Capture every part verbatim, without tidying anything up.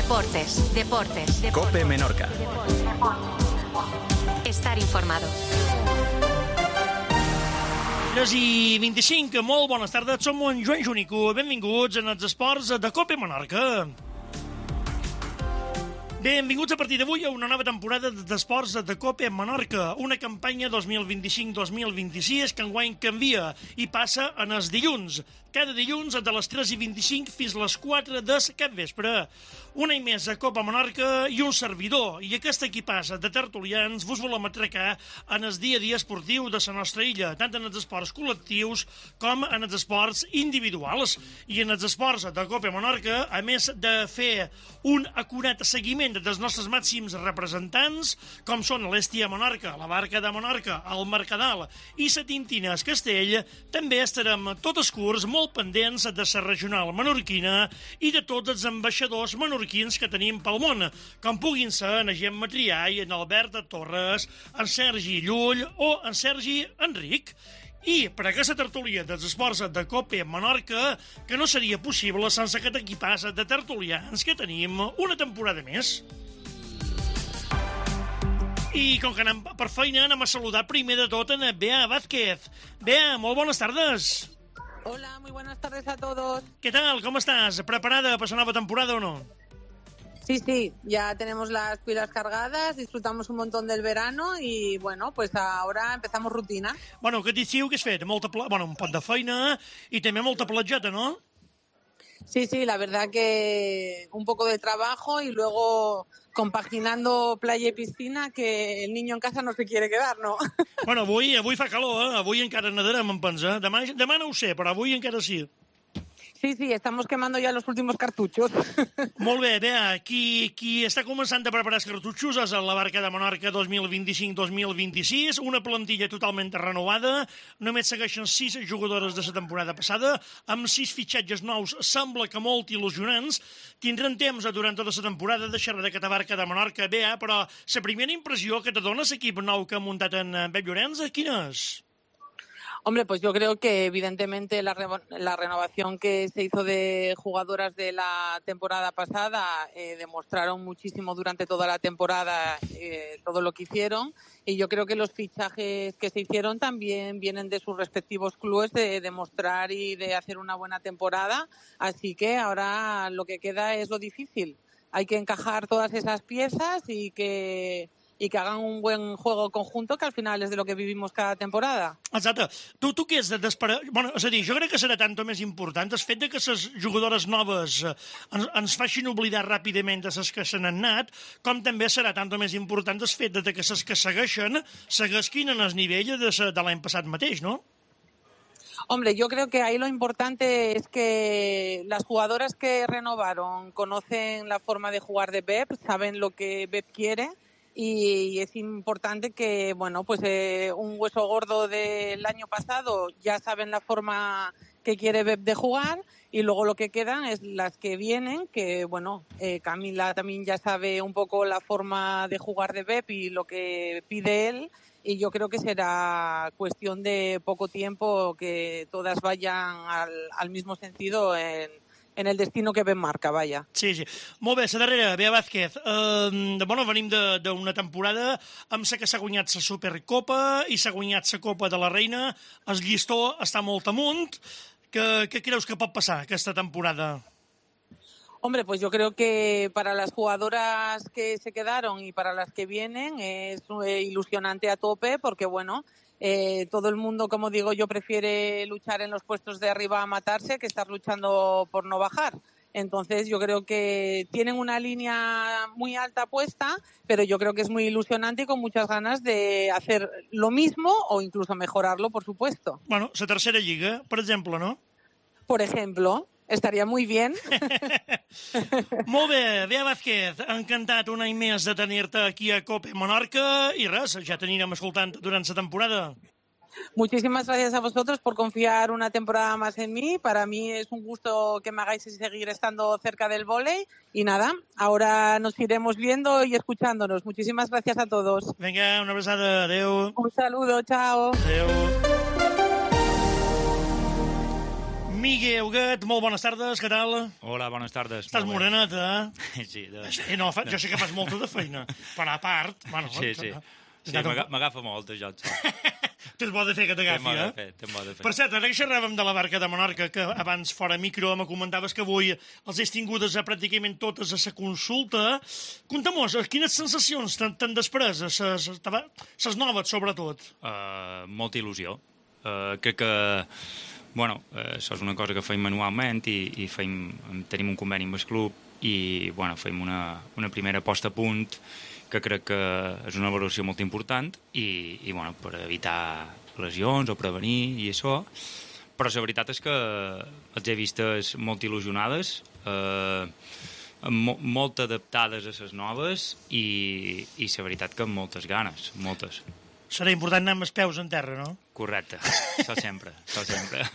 Deportes, deportes, deportes. COPE Menorca. Estar informado. tres i vint-i-cinc, molt bones tardes, som en Joan Junico, benvinguts en els esports de COPE Menorca. Benvinguts a partir d'avui a una nova temporada d'esports de COPE Menorca, una campanya dos mil vint-i-cinc dos mil vint-i-sis que enguany canvia i passa en els dilluns. Cada dilluns de les tres i vint-i-cinc fins a les quatre del capvespre. Un any més a COPE Menorca i un servidor. I aquest equipàs de tertulians vos volem atracar en el dia a dia esportiu de la nostra illa, tant en els esports col·lectius com en els esports individuals. I en els esports de COPE Menorca, a més de fer un acurat seguiment dels nostres màxims representants, com són l'Estia Menorca, la Barca de Menorca, el Mercadal i la Tintina Castell, també estarem tot els curs molt pendents de la regional menorquina i de tots els ambaixadors menorquins que tenim pel món, com puguin ser en Gemma Triay, en Albert Torres, en Sergi Llull o en Sergi Enric. I per aquesta tertúlia dels esports de COPE Menorca, que no seria possible sense aquest equipàs de tertulians que tenim una temporada més. I com que anem per feina, anem a saludar primer de tot en Bea Vázquez. Bea, molt bones tardes. Hola, muy buenas tardes a todos. ¿Qué tal? ¿Cómo estás? ¿Preparada para esa nueva temporada o no? Sí, sí, ya tenemos las pilas cargadas, disfrutamos un montón del verano y, bueno, pues ahora empezamos rutina. Bueno, què diu que has fet? Molta pla... bueno, un pot de feina i també molta platjeta, ¿no? Sí, sí, la verdad que un poco de trabajo y luego compaginando playa y piscina, que el niño en casa no se quiere quedar, ¿no? Bueno, avui, avui fa calor, eh? Avui encara nedarem, em pensa. Demà, demà no ho sé, però avui encara sí. Sí, sí, estamos quemando ya los últimos cartuchos. Molt bé, Bea, qui, qui està començant a preparar els cartutxos és la Barca de Menorca dos mil vint-i-cinc dos mil vint-i-sis, una plantilla totalment renovada, només segueixen sis jugadores de la temporada passada, amb sis fitxatges nous, sembla que molt il·lusionants. Tindrem temps durant tota la temporada de xerrar d'aquesta Barca de Menorca, Bea, però la primera impressió que te dona l'equip nou que ha muntat en Pep Llorenç, quina és? Hombre, pues yo creo que evidentemente la, re la renovación que se hizo de jugadoras de la temporada pasada eh, demostraron muchísimo durante toda la temporada eh, todo lo que hicieron, y yo creo que los fichajes que se hicieron también vienen de sus respectivos clubes de demostrar y de hacer una buena temporada, así que ahora lo que queda es lo difícil. Hay que encajar todas esas piezas y que... i que hagan un buen juego conjunto, que al final és de lo que vivimos cada temporada. Exacte. Tu, tu què és de desesperar? Bueno, és a dir, jo crec que serà tant o més important el fet de que les jugadores noves ens, ens facin oblidar ràpidament de les que se n'han anat, com també serà tant o més important el fet de que les que segueixen seguesquin en el nivell de, de l'any passat mateix, no? Hombre, yo creo que ahí lo importante es que las jugadoras que renovaron conocen la forma de jugar de Pep, saben lo que Pep quiere, y es importante que, bueno, pues eh, un hueso gordo del año pasado ya saben la forma que quiere Pep de jugar, y luego lo que quedan es las que vienen, que, bueno, eh, Camila también ya sabe un poco la forma de jugar de Pep y lo que pide él, y yo creo que será cuestión de poco tiempo que todas vayan al, al mismo sentido en en el destino que ben marca, vaja. Sí, sí. Molt bé, la darrera, Bea Vázquez. Uh, bueno, venim d'una temporada amb la que s'ha guanyat la Supercopa i s'ha guanyat la Copa de la Reina. El llistó està molt amunt. Què, què creus que pot passar aquesta temporada? Hombre, pues yo creo que para las jugadoras que se quedaron y para las que vienen es eh, ilusionante a tope, porque, bueno, Eh, todo el mundo, como digo yo, prefiere luchar en los puestos de arriba a matarse que estar luchando por no bajar. Entonces yo creo que tienen una línea muy alta puesta, pero yo creo que es muy ilusionante y con muchas ganas de hacer lo mismo o incluso mejorarlo, por supuesto. Bueno, la tercera lliga, per exemple, no? Por ejemplo, estaría muy bien. Molt bé, Bea Vázquez, encantat un any més de tenir-te aquí a COPE Menorca i res, ja t'anirem escoltant durant la temporada. Muchísimas gracias a vosotros por confiar una temporada más en mí. Para mí es un gusto que me hagáis seguir estando cerca del vóley. Y nada, ahora nos iremos viendo y escuchándonos. Muchísimas gracias a todos. Vinga, una abraçada. Adéu. Un saludo, chao. Adéu. Miguel Huguet, molt bones tardes, què tal? Hola, bones tardes. Estàs morenet, eh? Sí, de... Eh, no, fa, jo sé que fas molta de feina, però a part... Bueno, sí, sí. Sí, m'agafa molt, això. Tens bo de fer que t'agafi, eh? Tens bo de fer. Per cert, ara que xerràvem de la barca de Menorca, que abans fora micro me comentaves que avui els has tingudes a pràcticament totes a sa consulta. Conta-mos, quines sensacions t'han després, ses noves, sobretot? Uh, molta il·lusió. Uh, crec que... Bueno, uh, això és una cosa que feim manualment i, i feim, tenim un conveni amb el club i, bueno, feim una, una primera posta a punt que crec que és una valoració molt important i, i bueno, per evitar lesions o prevenir i això. Però la veritat és que els he vistes molt il·lusionades, eh, mo molt adaptades a les noves i, i la veritat que amb moltes ganes, moltes. Serà important anar amb els peus en terra, no? Correcte, això sempre, això sempre.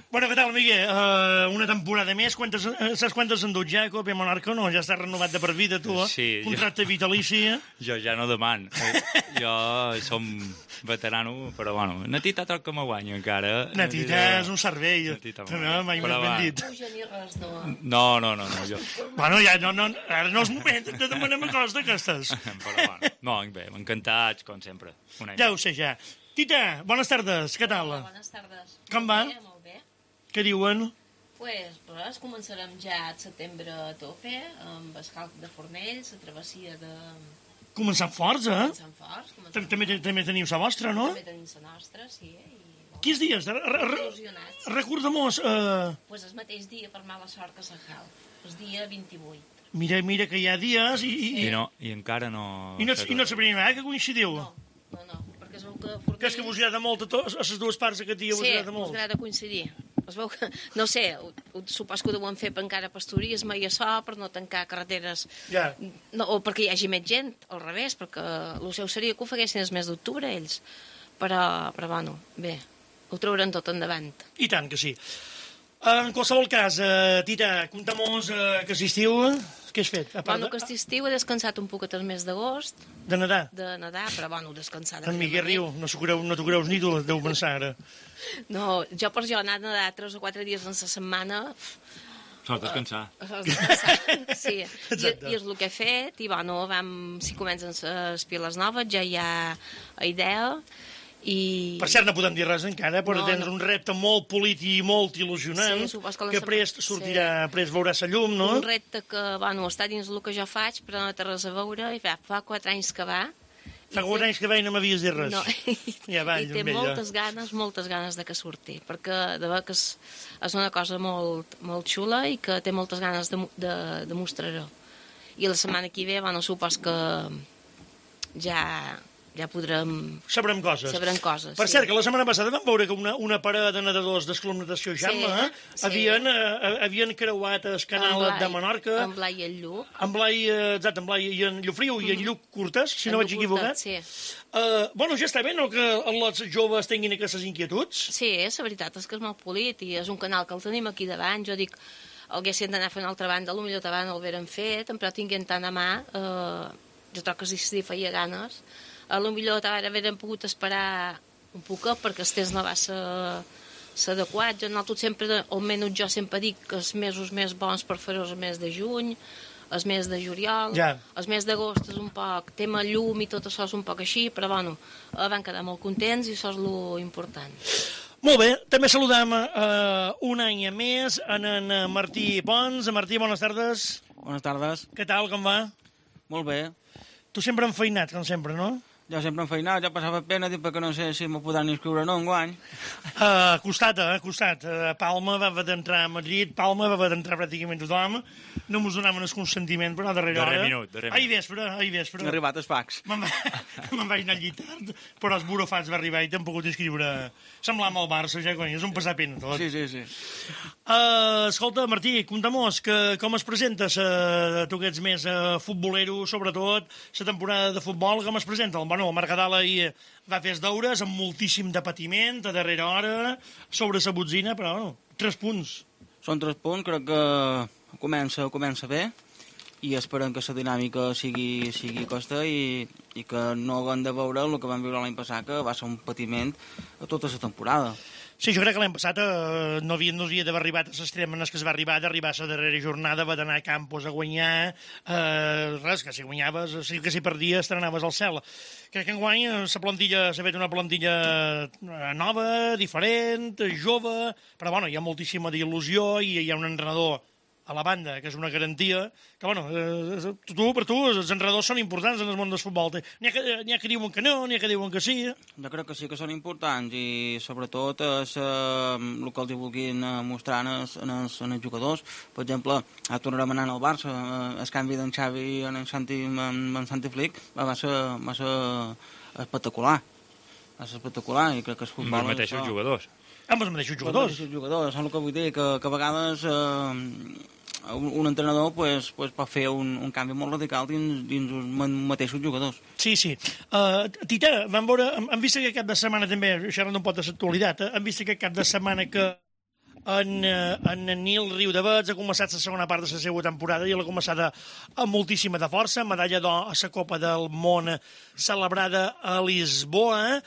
Bueno, què tal, Miguel? Uh, una temporada més, quantes, saps quantes en dut ja, Copa Menorca? No, ja estàs renovat de per vida, tu, eh? Sí. Contracte jo... vitalici. Jo ja no deman. Jo som veterano, però, bueno, Natita toca que me guanya, encara. Natita és un cervell. Natita no, mai m'he ben dit. No, no, no, no, jo... Bueno, ja no, no, ara no és moment de demanar coses d'aquestes. Però, bueno, no, bé, encantats, com sempre. Ja ho sé, ja. Tita, bones tardes, què tal? Hola, bones tardes. Com va? Molt bé, molt bé. Què diuen? Pues, res, començarem ja al setembre a tope, amb el calc de Fornells, la travessia de... Començant forts, eh? Començant forts. Començant també, també teniu la vostra, no? També tenim la nostra, sí. I, bon, Quins dies? Il·lusionats. Recorda'm-nos... Uh... Pues el mateix dia, per mala sort, que Sant Halp. El dia vint-i-vuit. Mira, mira que hi ha dies i... I, I, no, i encara no... I no, i no sabria mai que coincidiu? No, no, no. Perquè es veu que Fornells... Que és que vos agrada molt a, a les dues parts aquest dia, vos agrada molt. Sí, vos agrada coincidir. Es veu que, no sé, ho, ho, supos que ho deuen fer per encara pasturisme i això, per no tancar carreteres, ja. No, o perquè hi hagi més gent, al revés, perquè el seu seria que ho faguessin el mes d'octubre ells. Però, però, bueno, bé, ho trauran tot endavant. I tant que sí. En qualsevol cas, uh, Tita, compta-mos uh, que estiu, què has fet? Bueno, que estiu he descansat un poquet el mes d'agost. De nedar? De nedar, però bueno, descansar... En Miguel riu, no t'ho creu, no creus ni tu, deu pensar ara. No, jo per jo anar a nedar tres o quatre dies en la setmana... Sols descansar. Uh, sols descansar, sí. I, I és el que he fet, i bueno, vam, si comencen les piles noves, ja hi ha idea... I... Per cert, no podem dir res encara, però no, tens no. un repte molt polític i molt il·lusionant, sí, que, que prest sortirà, sí. prest veurà la llum, no? Un repte que, bueno, està dins el que jo faig, però no té res a veure, i fa, fa quatre anys que va. Fa quatre anys que va i no m'havies dit res. No. Ja va, I té moltes ganes, moltes ganes de que surti, perquè de veure que és, és una cosa molt, molt xula i que té moltes ganes de, de, de mostrar-ho. I la setmana que ve, bueno, supos que ja... ja podrem... Sabrem coses. Sabrem coses, Per sí. cert, que la setmana passada vam veure que una, una parada de nedadors d'Esclub Natació Jamma sí, eh, sí. havien, eh, havien creuat el canal Blai, de Menorca. En Blai i en Lluc. En Blai, exacte, en Blai i en Llufriu mm -hmm. i en Lluc Curtes, si en no vaig equivocat. Sí. Uh, bueno, ja està bé, no?, que els joves tinguin aquestes inquietuds. Sí, la veritat és que és molt polit i és un canal que el tenim aquí davant. Jo dic, haguessin d'anar a fer una altra banda, potser davant el veren fet, però tinguin tant a mà, eh, jo trobo que si feia ganes. A lo millor haurem pogut esperar un poc perquè el temps no va ser, ser adequat. Jo, nosaltres sempre, almenys jo sempre dic que els mesos més bons per fer-ho és el mes de juny, el mes de juliol, ja. el mes d'agost és un poc tema llum i tot això és un poc així, però bueno, van quedar molt contents i això és lo important. Molt bé, també saludem uh, un any més en, en Martí Pons. Martí, bones tardes. Bones tardes. Què tal, com va? Molt bé. Tu sempre enfeinat, com sempre, no? Jo sempre enfeinat, ja passava pena, dic, perquè no sé si m'ho podran inscriure o no enguany. Uh, costat, eh, costat. Uh, Palma va haver d'entrar a Madrid, Palma va haver d'entrar pràcticament tothom, no mos donaven el consentiment, però a darrere hora... Darrer minut, darrer minut. Ahir vespre, ahir vespre. Ha arribat el fax. Me'n va, me vaig anar al llit tard, però els burofats va arribar i t'han pogut inscriure... Semblava el Barça, ja, cony, és un passar pena tot. Sí, sí, sí. Uh, escolta, Martí, compta-mos que com es presenta uh, tu que ets més uh, futbolero, sobretot, la temporada de futbol, com es presenta? Bueno, el Mercadal ahir va fer els deures amb moltíssim de patiment, a darrera hora, sobre la botzina, però, bueno, tres punts. Són tres punts, crec que comença, comença bé, i esperem que la dinàmica sigui, sigui costa i, i que no haguem de veure el que vam viure l'any passat, que va ser un patiment a tota la temporada. Sí, jo crec que l'any passat eh, no havia, no havia d'haver arribat a l'extrem en el que es va arribar, d'arribar a la darrera jornada, va d'anar a Campos a guanyar, eh, res, que si guanyaves, sí que si perdies, t'anaves al cel. Crec que enguany la plantilla s'ha fet una plantilla nova, diferent, jove, però bueno, hi ha moltíssima d'il·lusió i hi ha un entrenador a la banda, que és una garantia, que, bueno, eh, tu, per tu, els entrenadors són importants en el món del futbol. N'hi ha, que, n'hi ha que diuen que no, n'hi ha que diuen que sí. Jo crec que sí que són importants i, sobretot, és, eh, el que els vulguin mostrar en els, en, els, en els jugadors. Per exemple, ara tornarem anant al Barça, eh, el canvi d'en Xavi en en Santi, en, en Santi Flick va ser, va ser espectacular. Va ser espectacular i crec que el futbol... Els mateixos això... jugadors. Amb els mateixos jugadors. Els mateixos jugadors, és el que vull dir, que, que a vegades... Eh, Un, un entrenador pues, pues, pot fer un, un canvi molt radical dins, dins els mateixos jugadors. Sí, sí. Uh, Tita, vam veure, hem, hem vist aquest cap de setmana també, xerrant un pot de l'actualitat, eh? hem vist aquest cap de setmana que en, en Nil Riudavets ha començat la segona part de la seva temporada i l'ha començat amb moltíssima de força, medalla d'or a la Copa del Món celebrada a Lisboa.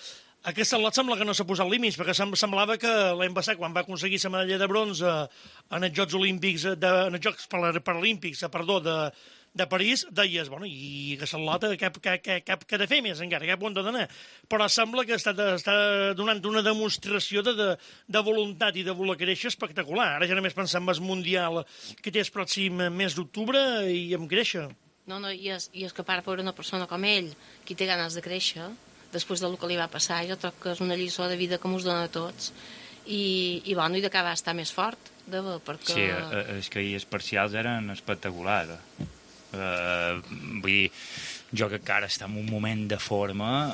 Aquesta lot sembla que no s'ha posat límits, perquè semblava que l'any passat, quan va aconseguir la medalla de bronze en els Jocs Olímpics, de, en els Jocs Paralímpics, perdó, de, de París, deies, bueno, i aquesta lota cap, cap, cap, cap que ha de fer més encara, cap on ha d'anar. Però sembla que està, està donant una demostració de, de, de voluntat i de voler créixer espectacular. Ara ja només pensar en el Mundial que té el pròxim mes d'octubre i em créixer. No, no, i és, i és que a part per una persona com ell, qui té ganes de créixer, després del que li va passar, jo trobo que és una lliçó de vida que mos dona a tots i, i bueno, i d'acabar estar més fort de bo, perquè... Sí, és que els parcials eren espectaculars. Uh, vull dir, jo que encara està en un moment de forma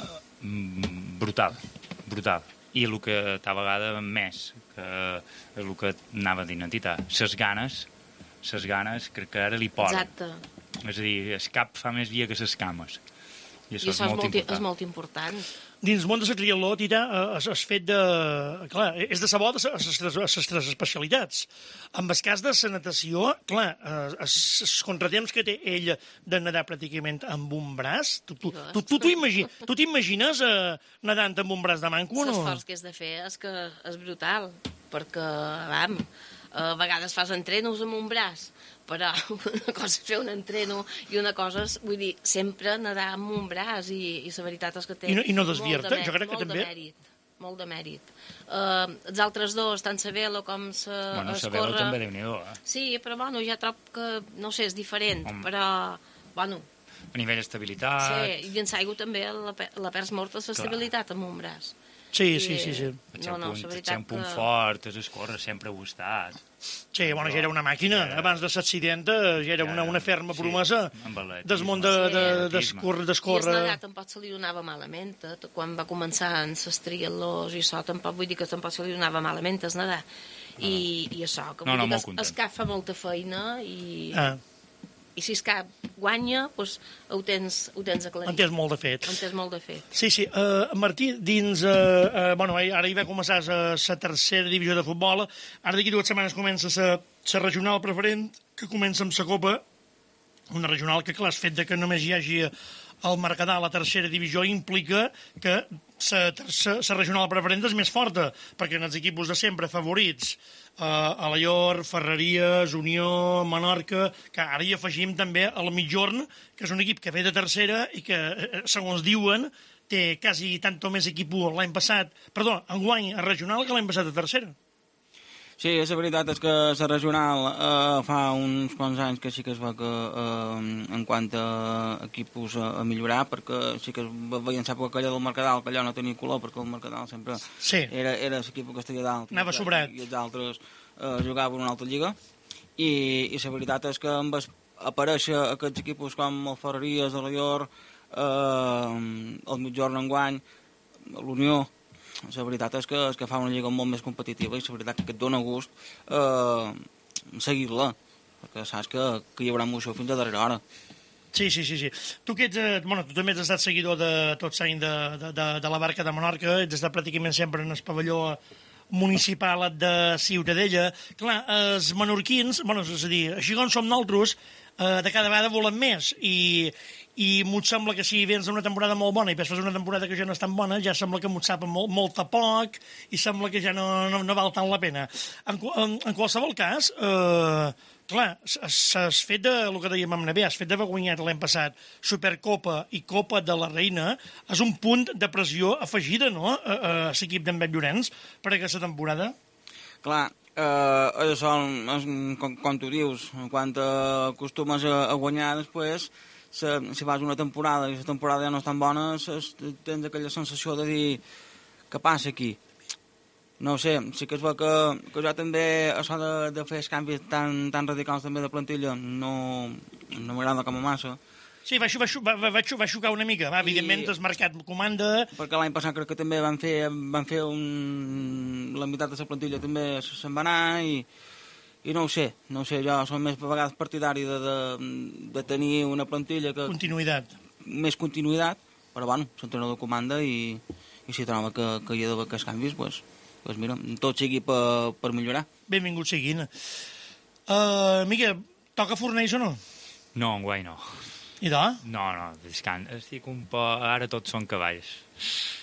brutal, brutal. I el que tal vegada més, que és el que anava d'identitat, ses ganes, ses ganes crec que ara li poden. Exacte. És a dir, el cap fa més via que ses cames. I això, I això és, molt és, molt, important. és molt important. Dins el món de la triatló, Tita, has, has fet de... Clar, és de sabó de les tres especialitats. En el cas de la natació, clar, els contratemps que té ell de nedar pràcticament amb un braç, tu tu, tu, tu, tu, imagi, tu t'imagines eh, nedant amb un braç de manco o no? L'esforç que has de fer és que és brutal, perquè, vam, a vegades fas entrenos amb un braç, però una cosa és fer un entreno i una cosa és, vull dir, sempre nedar amb un braç i, i la veritat és que té I no, i no molt de desvierta, mèrit, jo crec que molt també... de mèrit, molt de mèrit. Uh, els altres dos, tant la vela com la Bueno, la vela també déu-n'hi-do, eh? Sí, però bueno, ja trob que, no sé, és diferent, Home. però, bueno... A nivell d'estabilitat... Sí, i dins aigua també la, la perds molt la estabilitat amb un braç. Sí, sí, sí, sí. El seu No, no, punt, la el veritat seu punt que... fort és escórrer, sempre ho ha estat. Sí, bueno, ja era una màquina. Abans de l'accident ja era una, una ferma promesa del món de, de, d'escórrer. I es negar tampoc se li donava malament. Eh? Quan va començar en les triatlons i això, tampoc vull dir que tampoc se li donava malament es nedar. I, i això, que vull no, no, dir que molt es, es cap fa molta feina i... Ah. I si es cap guanya, doncs ho tens, ho tens aclarit. En tens molt de fet. En tens molt de fet. Sí, sí. Uh, Martí, dins... Uh, uh, bueno, ara hi va començar la tercera divisió de futbol. Ara d'aquí dues setmanes comença la regional preferent, que comença amb la Copa. Una regional que, clar, el fet de que només hi hagi el Mercadal a la tercera divisió implica que la regional preferent és més forta, perquè en els equips de sempre favorits, uh, Alaior, Ferreries, Unió, Menorca, que ara hi afegim també el Mitjorn, que és un equip que ve de tercera i que, segons diuen, té quasi tant o més equip l'any passat, perdó, enguany a regional que l'any passat a tercera. Sí, la veritat és que la regional eh, fa uns quants anys que sí que es va que eh, en quant a equipos a, a millorar, perquè sí que es veien l'època aquella del Mercadal, que allò no tenia color, perquè el Mercadal sempre sí. era, era l'equip que estaria dalt. Anava sobrat. I els altres eh, jugaven una altra lliga. I, i la veritat és que amb aparèixer aquests equipos com el Ferreries, el Alaior, eh, el Mitjorn enguany, l'Unió, la veritat és que, és que fa una lliga molt més competitiva i la veritat que et dona gust eh, seguir-la, perquè saps que, que hi haurà moció fins a darrera hora. Sí, sí, sí, sí. Tu, que ets, eh, bueno, tu també has estat seguidor de tot l'any de, de, de, de la Barca de Menorca, ets estat pràcticament sempre en el pavelló municipal de Ciutadella. Clar, els menorquins, bueno, és a dir, així com som nosaltres, eh, de cada vegada volen més, i, i m'ho sembla que si vens d'una temporada molt bona i després fas una temporada que ja no és tan bona, ja sembla que m'ho sap molt, molt a poc i sembla que ja no, no, no val tant la pena. En, en, en qualsevol cas, eh, clar, s'has fet de, el que dèiem amb Navé, has fet de guanyat l'any passat Supercopa i Copa de la Reina, és un punt de pressió afegida, no?, a, a l'equip d'en Pep Llorenç per aquesta temporada. Clar, eh, això, és, com, com tu dius, quan acostumes a, a guanyar després, se, si vas una temporada i la temporada ja no és tan bona, ses, tens aquella sensació de dir què passa aquí. No ho sé, sí que es veu que, que jo també, això de, de fer els canvis tan, tan radicals també de plantilla, no, no m'agrada com a massa. Sí, va, va, va, va xocar una mica, va, evidentment I, has marcat comanda. Perquè l'any passat crec que també van fer, van fer un... la meitat de la plantilla també se'n va anar i, i no ho sé, no ho sé, jo som més a vegades partidari de, de, de tenir una plantilla que... Continuïtat. Més continuïtat, però bueno, l'entrenador comanda i, i si troba que, que hi ha d'haver aquests canvis, doncs... Pues mira, tot sigui per, per millorar. Benvingut siguin. Uh, Miquel, toca fornells o no? No, enguany no. I de? No, no, descans. Estic un po... Ara tots són cavalls.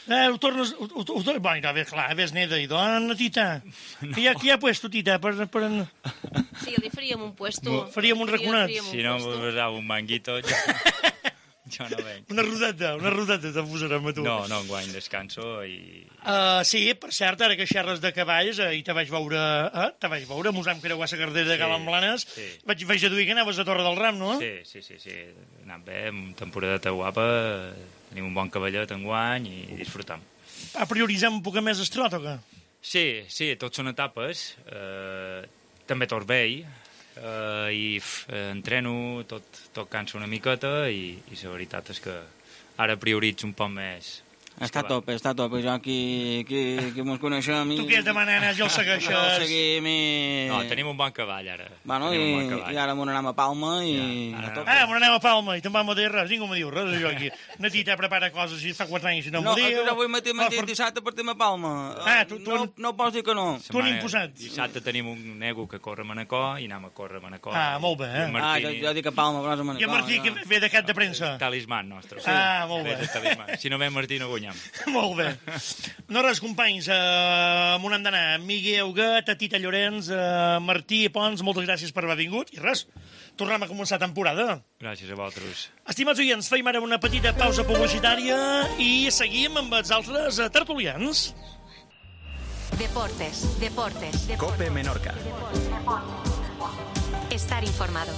Eh, ho tornes... Ho, ho, ho, bueno, a veure, clar, ves neda, i dona, tita. No. Qui, ha, qui ha puesto, tita? Per, per... Sí, li faríem un puesto. Faríem un raconat. Si no em posava un manguito... Jo... Jo no venc. Una rodeta, una rodeta te posarem a tu. No, no, enguany descanso i... Uh, sí, per cert, ara que xerres de cavalls, eh, i te vaig veure, eh, te vaig veure, mos vam creuar la cartera de sí, Galamblanes, sí. vaig, vaig deduir que anaves a Torre del Ram, no? Sí, sí, sí, sí. Anant bé, una temporadeta guapa, tenim un bon cavallet enguany i disfrutam. A prioritzem un poc més estrot, o què? Sí, sí, tots són etapes, eh, també tot vell, Uh, i f, eh, entreno, tot, tot cansa una miqueta i, i la veritat és que ara prioritzo un poc més. Està a tope, està a tope. Jo aquí, aquí, aquí mos coneixem... I... Tu què has demanat, ja el segueixes? No, el seguim i... No, tenim un bon cavall, ara. Bueno, i, bon cavall. i ara m'on anem a Palma i... Ja, ara... Ah, m'on anem a Palma i te'n vam a dir res, ningú me diu res, jo aquí. Na tita prepara coses i fa quatre anys i no, no m'ho diu. No, jo vull metir no, per... dissabte partim a Palma. Ah, tu, tu... No, no pots dir que no. Tu n'hi imposat. Dissabte tenim un nego que corre a Manacor i anem a córrer a Manacor. Ah, molt bé, eh? Ah, jo, jo dic a Palma, però és a Manacor. I a Martí, que ve de cap de premsa. Talisman nostre. Ah, molt bé. Si no ve Martí no guanyem. Molt bé. No res, companys, uh, on hem d'anar? Miguel Huguet, Tita Llorenç, uh, Martí Pons, moltes gràcies per haver vingut. I res, tornem a començar temporada. Gràcies a vosaltres. Estimats oients, feim ara una petita pausa publicitària i seguim amb els altres uh, tertulians. Deportes, deportes, deportes. Cope Menorca. Estar informado.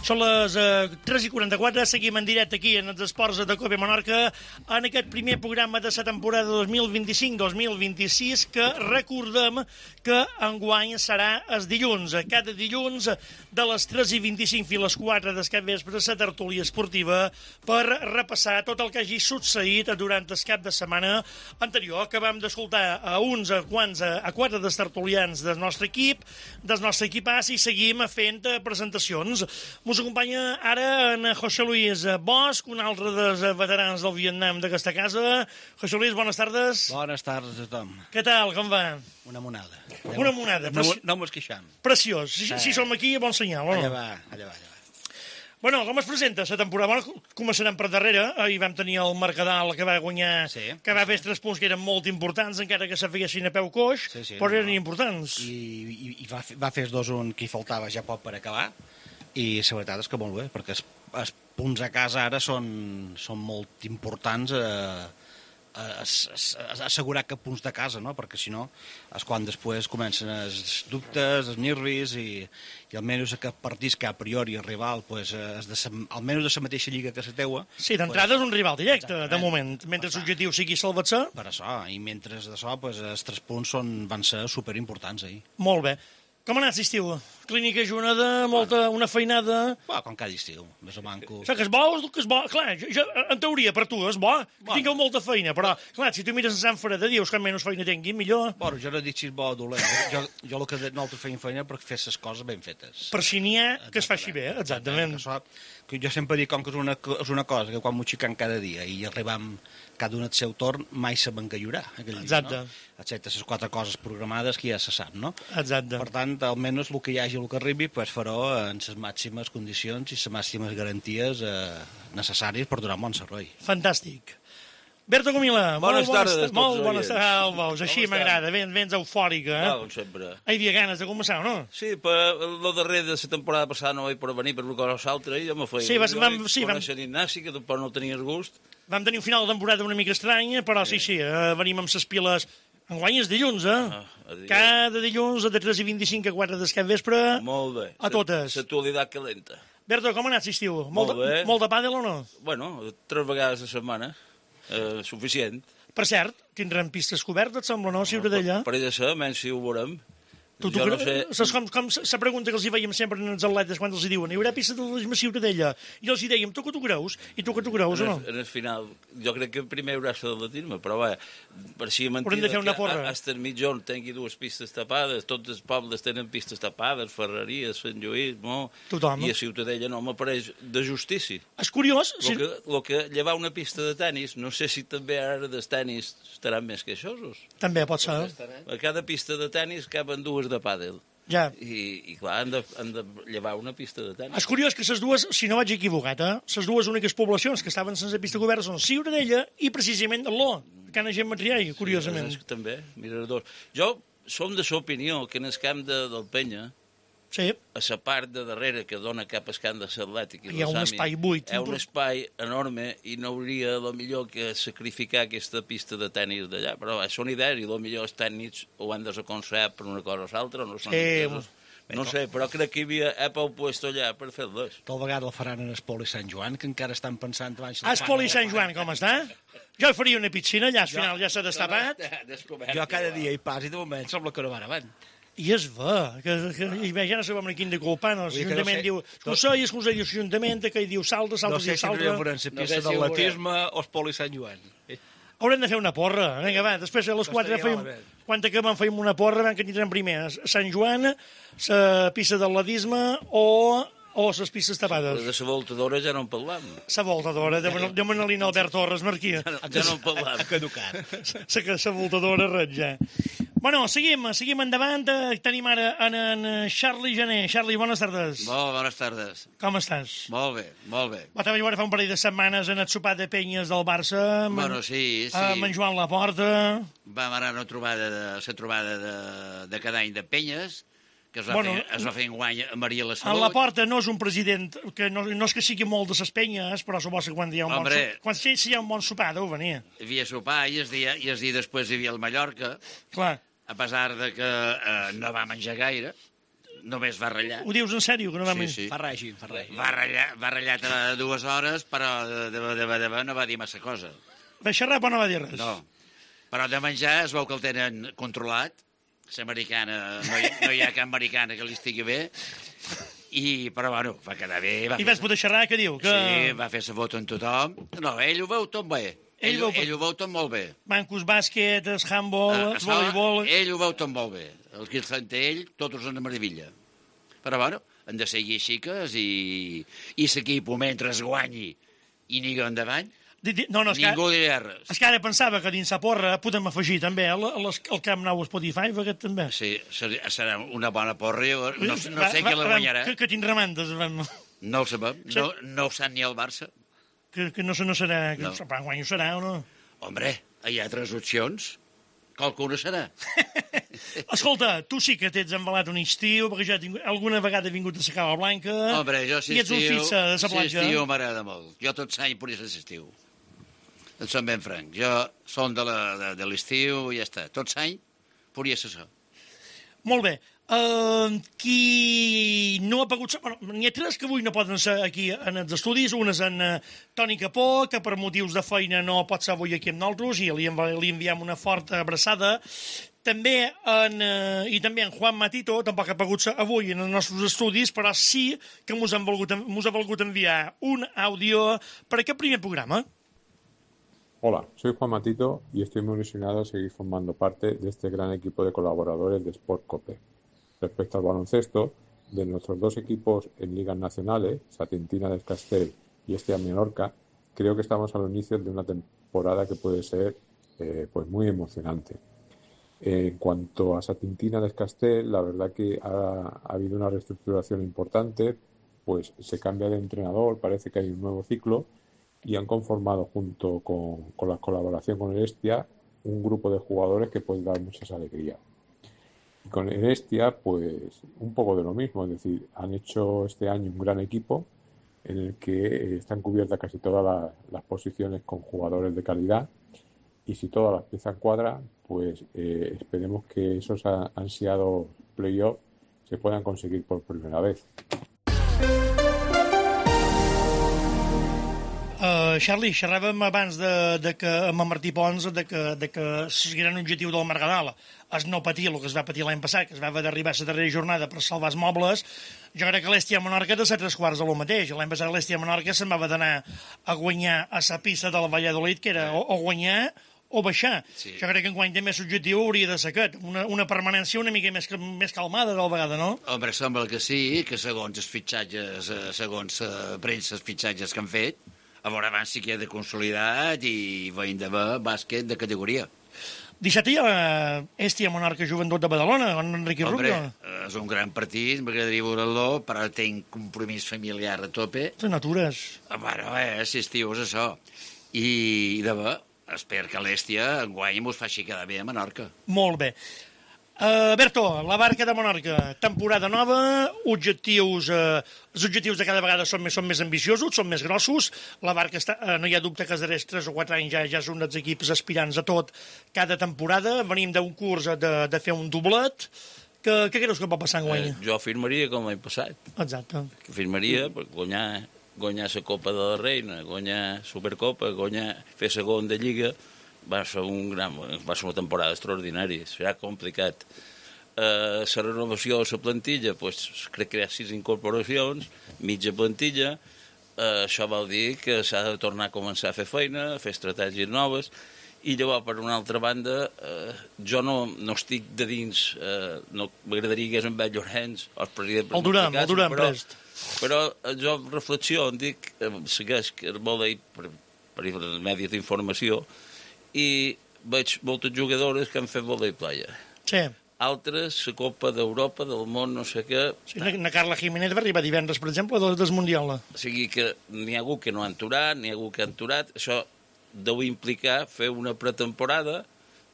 Són les eh, tres i quaranta-quatre, seguim en directe aquí en els esports de Cope Menorca en aquest primer programa de la temporada dos mil vint-i-cinc dos mil vint-i-sis que recordem que enguany serà els dilluns. Cada dilluns de les tres i vint-i-cinc fins a les quatre del cap vespre la tertúlia esportiva per repassar tot el que hagi succeït durant el cap de setmana anterior. Acabam d'escoltar a uns, a quants, a, a quatre dels tertulians del nostre equip, del nostre equipàs, i seguim fent presentacions. Us acompanya ara en José Luis Bosch, un altre dels veterans del Vietnam d'aquesta casa. José Luis, bones tardes. Bones tardes a tothom. Què tal, com va? Una monada. Una monada. No, Preci... no mos queixam. Preciós. Si, si som aquí, bon senyal, o no? Allà va, allà va, allà va. Bueno, com es presenta la temporada? Bueno, començarem per darrere. Ahir vam tenir el Mercadal que va guanyar, sí, que va sí. fer tres punts que eren molt importants, encara que se feien a peu coix, Sí, sí, però no, eren no. importants. I, i, i va, fer, va fer els dos un que hi faltava ja poc per acabar, i la veritat és que molt bé, perquè els, els punts a casa ara són, són molt importants a, a, a, a assegurar que punts de casa, no? Perquè si no és quan després comencen els dubtes, els nervis, i, i almenys aquests partits que a priori el rival pues, és de sa, almenys de la mateixa lliga que la teua. Sí, d'entrada és un rival directe, de Exactament. moment, mentre l'objectiu sigui salvar-se. Per això, i mentre d'això, pues, els tres punts són, van ser superimportants ahir. Molt bé. Com ha anat l'estiu? Clínica Junada, molta, una feinada... Bueno, com cada estiu, més o manco. O sigui, que és bo, que és bo. Clar, jo, jo, en teoria, per tu és bo, que Bueno. tingueu molta feina, però, clar, si tu mires a Sant Freda, dius que menys feina tingui, millor. Bueno, jo no dic si és bo o dolent. Jo, jo el que nosaltres feim feina per fer les coses ben fetes. Per si n'hi ha que es faci bé, exactament. Que això, que jo sempre dic com que és una, és una cosa que quan m'ho xiquen cada dia i arribam cada un al seu torn, mai sabem que hi haurà aquell dia, Exacte. no? Excepte les quatre coses programades que ja se sap, no? Exacte. Per tant, almenys el que hi hagi, el que arribi, pues, farò en les màximes condicions i les màximes garanties eh, necessàries per donar un bon servei. Fantàstic. Berto Comila, Bones molt tardes a tots molt els bones oients. tardes. Ah, el veus, així Com m'agrada, ben, vens eufòrica. Ah, Eh? com sempre. Hi havia ganes de començar, o no? Sí, però el darrer de la temporada passada no vaig poder venir per una cosa o l'altra i jo me feia. Sí, vas- jo vam- vaig sí, vam- conèixer l'Ignasi, que tampoc no tenies gust. Vam tenir un final de temporada una mica estrany, però sí, sí, eh, venim amb ses piles. Enguany és dilluns, eh? Ah, a dilluns. Cada dilluns, de tres i vint-i-cinc a quatre del cap vespre. Molt bé. A totes. L'actualitat calenta. Berto, com ha anat l'estiu? Molt de, bé. molt de pàdel o no? Bueno, tres vegades a la setmana, eh, suficient. Per cert, tindrem pistes cobertes, et sembla, no, Ciutadella? Per ella ser, menys si ho veurem. Tu, tu, jo no no sé... Saps com, com la pregunta que els hi veiem sempre en els atletes quan els hi diuen hi haurà pista d'atletisme a Ciutadella? I els hi dèiem, tu que tu creus? I tu que tu creus o En no? el, en el final, jo crec que primer haurà de l'atletisme, però va, pareixia Haurem mentida de fer una que porra. a- hasta el mitjón tingui dues pistes tapades, tots els pobles tenen pistes tapades, Ferreries, Sant Lluís, no? Tothom. I a Ciutadella no m'apareix de justícia. És curiós, El si... que, lo que llevar una pista de tennis, no sé si també ara dels tennis estaran més queixosos. també pot ser. A cada pista de tennis caben dues de pàdel. Ja. I, i clar, han de, han de llevar una pista de tennis. És curiós que les dues, si no vaig equivocat, eh, les dues úniques poblacions que estaven sense pista coberta són Ciutadella i precisament l'O, Cana Gent Matriai, curiosament. És que també, miradors. Jo som de l'opinió que en el camp de, del Penya, Sí, a la part de darrere que dona cap al camp de l'atlètic i Hi ha un l'Sami, espai buit. hi ha un espai enorme i no hauria el millor que sacrificar aquesta pista de tennis d'allà, però va, són idees i el millor els tècnics ho han desaconsellat per una cosa o l'altra, no són Sí, entesos. No sé, però crec que hi havia Apple puesto allà per fer-les. Tal vegada el faran en Espoli Sant Joan, que encara estan pensant abans... Ah, Espoli Sant Joan, com està? Jo hi faria una piscina, allà al final ja s'ha destapat. Jo cada dia hi pas i de moment sembla que no van avant. I és ver, que, que i bé, ja no sabem ni quin de culpar, no? Vull dir que L'Ajuntament no sé- diu, tu sei, el Consell de l'Ajuntament, que hi diu salta, salta, No sé diu si hauria salta. de fer la No pista sé si ho d'atletisme o Espoli Sant Joan. Haurem de fer una porra. Vinga, va, després a les quatre Estaria fem... malament. Quan acabem fem una porra, vam que tindrem primer a Sant Joan, la pista d'atletisme o, o les pistes tapades. De la voltadora ja no en parlam. La voltadora, de Manolina Albert Torres, Marquí. Ja no, ja no en parlam. Ha caducat. La voltadora, res, ja. Bueno, seguim, seguim endavant. Eh, Tenim ara en, en Charlie Jané. Charlie, bones tardes. Molt bones tardes. Com estàs? Molt bé, molt bé. Va també veure fa un parell de setmanes en el sopar de penyes del Barça. amb- Bueno, sí, sí. Amb en Joan Laporta. Vam anar a una trobada de, la trobada de, de cada any de penyes, que es va, Bueno, fer, es va fer enguany a Maria la En Salut. Laporta no és un president que no, no és que sigui molt de ses penyes, però suposo que quan hi ha un, bon, Hombre. so- quan sí, sí hi ha un bon sopar deu venir. Hi havia sopar i el dia, i el dia després hi havia el Mallorca, Clar. a pesar de que eh, no va menjar gaire. només va ratllar. Ho dius en sèrio? Que no va Sí, sí. Fa règim, fa règim. Va ratllar, va ratllar a dues hores, però de, de, de, de, de, no va dir massa cosa. Va xerrar, però no va dir res. No. Però de menjar es veu que el tenen controlat. L'americana, no, hi, no hi ha cap americana que li estigui bé. I, però, bueno, va quedar bé. Va I vas poder xerrar, què diu? Que... Sí, va fer sa foto amb tothom. No, ell ho veu tot bé. Ell, ell, veu... ell ho veu tot molt bé. Bancos, bàsquet, el handball, Ah, el voleibol... Ell ho veu tot molt bé. El que sent ell, tots són de meravella. Però, bueno, han de seguir xiques i, i l'equip, mentre es guanyi i ningú endavant, No, no, és ningú que, dirà res. és que ara pensava que dins la porra podem afegir també el, el, el Camp Nou Spotify, aquest també. Sí, serà una bona porra. Jo no, no Va, sé va, qui la va, guanyarà. Que, que tindrà mantes. No, No ho sabem. No, no ho sap ni el Barça. que, que no, no serà... Que No. no. Guanyo serà o no? Hombre, hi ha tres opcions. Qualcuna serà. Escolta, tu sí que t'ets embalat un estiu, perquè ja tinc, alguna vegada he vingut a la Cava Blanca. Hombre, jo si I ets un estiu, fixa de la si platja. estiu m'agrada molt. Jo tot l'any podria ser l'estiu. En som ben franc. Jo som de, la, de, de l'estiu i ja està. Tot l'any podria ser això. Molt bé. Uh, qui no ha pogut ser... Bueno, n'hi ha tres que avui no poden ser aquí en els estudis. Un és en uh, Toni Capó, que per motius de feina no pot ser avui aquí amb nosaltres, i li, env li enviem una forta abraçada. També en, uh, i també en Juan Matito, tampoc ha pogut ser avui en els nostres estudis, però sí que mos han volgut, mos ha volgut enviar un àudio per aquest primer programa. Hola, soy Juan Matito y estoy muy ilusionado de seguir formando parte de este gran equipo de colaboradores de Sport Cope. Respecto al baloncesto, de nuestros dos equipos en ligas nacionales, Satintina del Castell y Estia Menorca, creo que estamos a los inicios de una temporada que puede ser eh, pues muy emocionante. En cuanto a Satintina del Castell, la verdad que ha, ha habido una reestructuración importante, pues se cambia de entrenador, parece que hay un nuevo ciclo, y han conformado junto con, con la colaboración con el Estia un grupo de jugadores que puede dar muchas alegrías. Y con el Estia, pues un poco de lo mismo, es decir, han hecho este año un gran equipo en el que están cubiertas casi todas las, las posiciones con jugadores de calidad, y si todas las piezas cuadran, pues eh, esperemos que esos ansiados playoffs se puedan conseguir por primera vez. Uh, Charlie, xerràvem abans de, de que, amb en Martí Pons de que, de que el gran objectiu del Margadal és no patir el que es va patir l'any passat, que es va haver d'arribar a la darrera jornada per salvar els mobles. Jo crec que l'Estia Menorca de ser tres quarts de lo mateix. L'any passat l'Estia Menorca se'n va haver d'anar a guanyar a la pista del Valladolid, que era o, o guanyar o baixar. Sí. Jo crec que enguany també l'objectiu hauria de ser aquest, una, una permanència una mica més, més calmada del vegada, no? Home, sembla que sí, que segons els fitxatges, segons la premsa, els fitxatges que han fet, a veure abans sí que hi ha de consolidat i veiem de bàsquet de categoria. Dissabte hi ha Estia Menorca Joventut de Badalona, amb Enrique Rubio. Hombre, és un gran partit, m'agradaria veure-lo, però tinc compromís familiar a tope. Les natures. Bueno, eh, si estiu és això. I, de bé, espero que l'Estia enguany mos faci quedar bé a Menorca. Molt bé. Uh, Berto, la barca de Menorca, temporada nova, objectius, uh, els objectius de cada vegada són més, són més ambiciosos, són més grossos, la barca està, uh, no hi ha dubte que els darrers tres o quatre anys ja, ja és un dels equips aspirants a tot cada temporada, venim d'un curs de, de fer un doblet, que, què creus que pot passar enguany? Eh, jo firmaria com l'any passat. Exacte. Firmaria per guanyar, guanyar la Copa de la Reina, guanyar Supercopa, guanyar, fer segon de Lliga. Va ser, un gran, va ser una temporada extraordinària, serà complicat. Eh, la renovació de la plantilla, pues, crec que hi ha sis incorporacions, mitja plantilla, eh, això vol dir que s'ha de tornar a començar a fer feina, a fer estratègies noves, i llavors, per una altra banda, eh, jo no, no estic de dins, eh, no m'agradaria que és en Bell Llorenç, el president... El Durant, el Durant, però, prest. Però eh, jo reflexiono, dic, eh, segueix que el volei per, per els medis d'informació, i veig moltes jugadores que han fet volei playa. Sí. Altres, la Copa d'Europa, del món, no sé què... Sí, la Carla Jiménez va arribar divendres, per exemple, del, del Mundial. O sigui que n'hi ha algú que no ha aturat, n'hi ha algú que ha aturat. Això deu implicar fer una pretemporada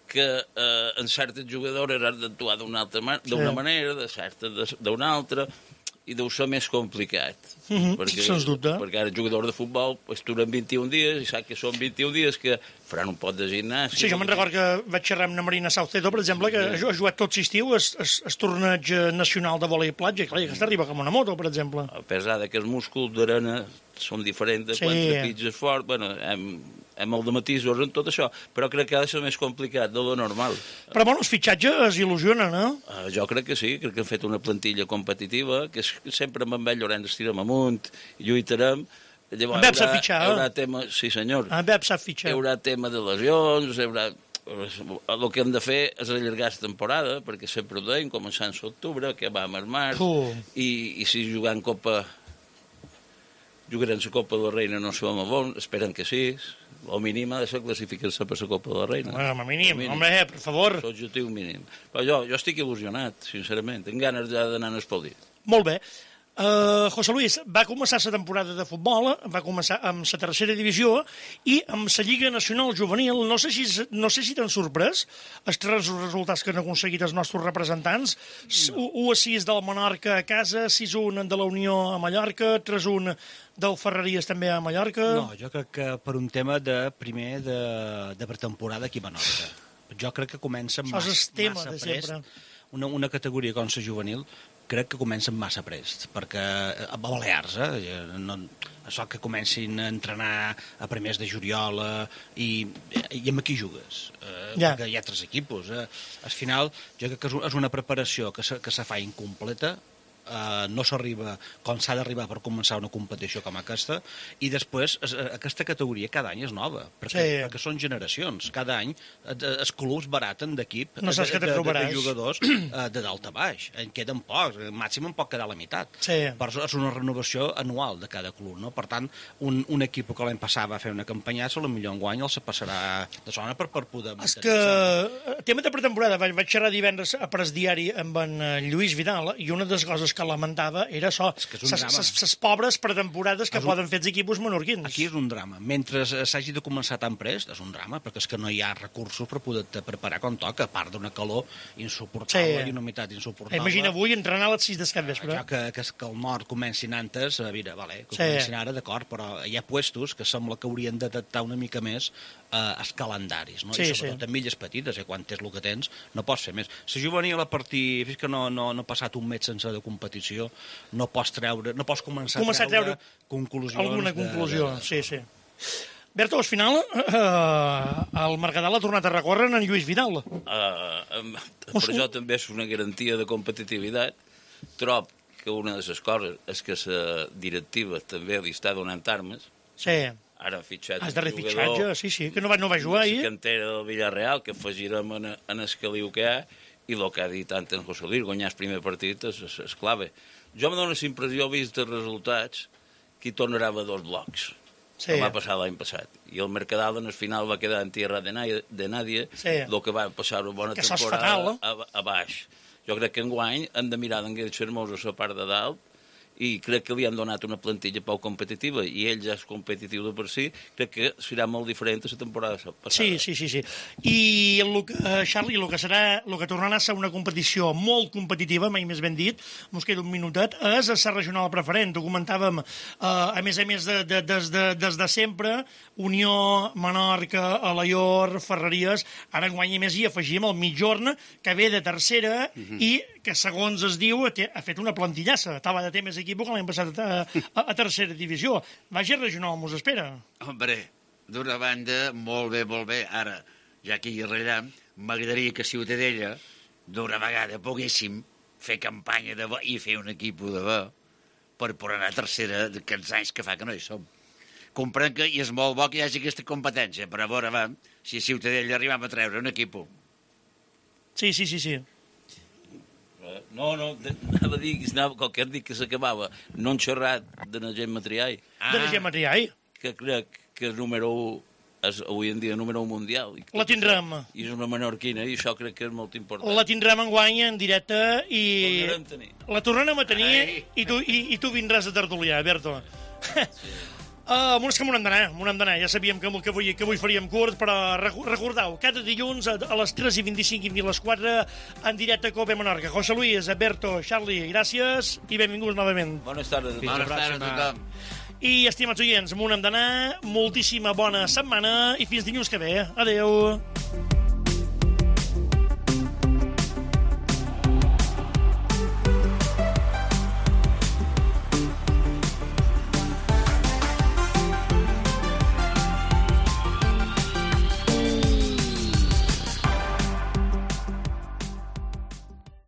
que eh, en certes jugadores han d'actuar d'una altra man sí. manera, de certes d'una altra, i deu ser més complicat. Mm -hmm, perquè, sens dubte. Perquè ara jugadors de futbol pues, duren vint-i-un dies i sap que són vint-i-un dies que faran un pot de gimnàs. Sí, jo me'n recordo que vaig xerrar amb la Marina Saucedo, per exemple, que ha jugat tot l'estiu el, el, el torneig nacional de vòlei platja, clar, que arriba com una moto, per exemple. A pesar de que els músculs d'arena són diferents de sí. quan trepitges fort, bueno, hem, hem el de matisos en tot això, però crec que ha de ser més complicat de lo normal. Però bueno, els fitxatges il·lusionen, eh? Uh, jo crec que sí, crec que han fet una plantilla competitiva, que sempre amb en Llorenç estirem amunt, lluitarem. Llavors, en Bep sap fitxar, hi haurà tema, sí senyor. En Bep sap fitxar. Hi haurà tema de lesions, hi haurà... El que hem de fer és allargar la temporada, perquè sempre ho deim, començant a l'octubre, que va a març, uh. i, i si jugant Copa... jugarem la Copa de la Reina no som a bon, esperen que sí, o mínim ha de ser classificar-se per la Copa de la Reina. Bueno, com a mínim, mínim. Home, per favor. L'objectiu mínim. Però jo, jo estic il·lusionat, sincerament, tinc ganes ja d'anar a espaldir. Molt bé. Uh, José Luis, va començar la temporada de futbol, va començar amb la tercera divisió i amb la Lliga Nacional Juvenil. No sé si, no sé si t'han sorprès els tres resultats que han aconseguit els nostres representants. No. u a sis del Menorca a casa, sis a un de la Unió a Mallorca, tres a un del Ferreries també a Mallorca. No, jo crec que per un tema de primer de, de pretemporada aquí a Menorca. Jo crec que comença massa, massa prest. Una, una categoria com la juvenil crec que comencen massa prest, perquè a Balears, eh, no, això que comencin a entrenar a primers de juliol eh, i, i amb qui jugues, eh, ja. Perquè hi ha tres equipos. Eh. Al final, jo crec que és una preparació que se, que se fa incompleta, Uh, no s'arriba com s'ha d'arribar per començar una competició com aquesta, i després es, aquesta categoria cada any és nova, perquè, sí. perquè són generacions. Cada any els clubs baraten d'equip no de, de, de, de, de jugadors uh, de dalt a baix. En queden pocs, màxim en pot quedar la meitat. Sí. Però és una renovació anual de cada club, no? Per tant, un, un equip que l'any passat va fer una campanyassa, potser enguany el se passarà de zona per, per poder... És que, tema de pretemporada, vaig, vaig xerrar divendres a Pres Diari amb en Lluís Vidal, i una de les coses que lamentava era això, les pobres pretemporades que poden fer els equipos menorquins. Aquí és un drama. Mentre s'hagi de començar tan prest, és un drama, perquè és que no hi ha recursos per poder-te preparar com toca, a part d'una calor insuportable i una humitat insuportable. Imagina avui entrenar a les sis del capvespre. Ja que, que, que el nord comencin antes, mira, vale, que comencin ara, d'acord, però hi ha puestos que sembla que haurien d'adaptar una mica més eh, els calendaris, no? Sí, I sobretot en milles petites, eh, quan tens el que tens, no pots fer més. La juvenil a partir, fins que no, no, no ha passat un mes sense de competició, no pots treure, no pots començar, començar a treure, treure conclusions. Alguna conclusió, de, de... sí, sí. Berto, al final, eh, el Mercadal ha tornat a recórrer en Lluís Vidal. Uh, per això també és una garantia de competitivitat. Trob que una de les coses és que la directiva també li està donant armes. Sí. Ara ha fitxat un jugador... fitxatge, sí, sí, que no va, no va jugar ahir. La cantera del Villarreal, que afegirem en, en el caliu que hi ha, i el que ha dit tant en José Luis, guanyar el primer partit és, és, és clave. Jo me dono la impressió, vist els resultats, que hi tornarà a dos blocs. Sí. Que va passar l'any passat. I el Mercadal en el final va quedar en tierra de, nadie, de nadie, sí. el que va passar una bona que temporada fatal, a, a baix. Jo crec que enguany han de mirar d'enguells hermosos a la part de dalt, i crec que li han donat una plantilla poc competitiva, i ell ja és competitiu de per si, crec que serà molt diferent a la temporada passada. Sí, sí, sí, sí. I el que, Charlie, el que serà, el que tornarà a ser una competició molt competitiva, mai més ben dit, mos queda un minutet, és a ser regional preferent. Ho comentàvem, eh, a més a més de, de, des, de, des de sempre, Unió, Menorca, Alaior, Ferreries, ara enguany a més hi afegim el Mitjorn, que ve de tercera, uh-huh. i que segons es diu ha fet una plantillassa, estava de temps equip que l'any passat a, a, a tercera divisió. Vagi regional, mos espera. Hombre, d'una banda, molt bé, molt bé. Ara, ja que hi rellam, m'agradaria que Ciutadella, d'una vegada, poguéssim fer campanya de bo i fer un equip de bo per poder anar a tercera d'aquests anys que fa que no hi som. Comprenc que i és molt bo que hi hagi aquesta competència, però a veure, va, si a Ciutadella arribam a treure un equip. Sí, sí, sí, sí. No, no, anava a dir, anava, qualque dit que s'acabava, no han xerrat de la gent Matriai. Ah, de la gent Matriai? Que crec que és número un, és avui en dia número un mundial. La tindrem. I és una menorquina, i això crec que és molt important. La tindrem enguany en directe i... tenir. La tornarem a tenir i tu, i, i tu vindràs a tertuliar, Berto. Sí. Uh, és que m'ho hem d'anar, m'ho hem d'anar. Ja sabíem que, que, avui, que avui faríem curt, però recordeu, cada dilluns a, a les tres i vint-i-cinc i a les quatre en directe a Cope Menorca. José Luis, Alberto, Charlie, gràcies i benvinguts novament. Bones tardes. Bones tardes a tothom. I, estimats oients, m'ho hem d'anar. Moltíssima bona setmana i fins dilluns que ve. Adeu.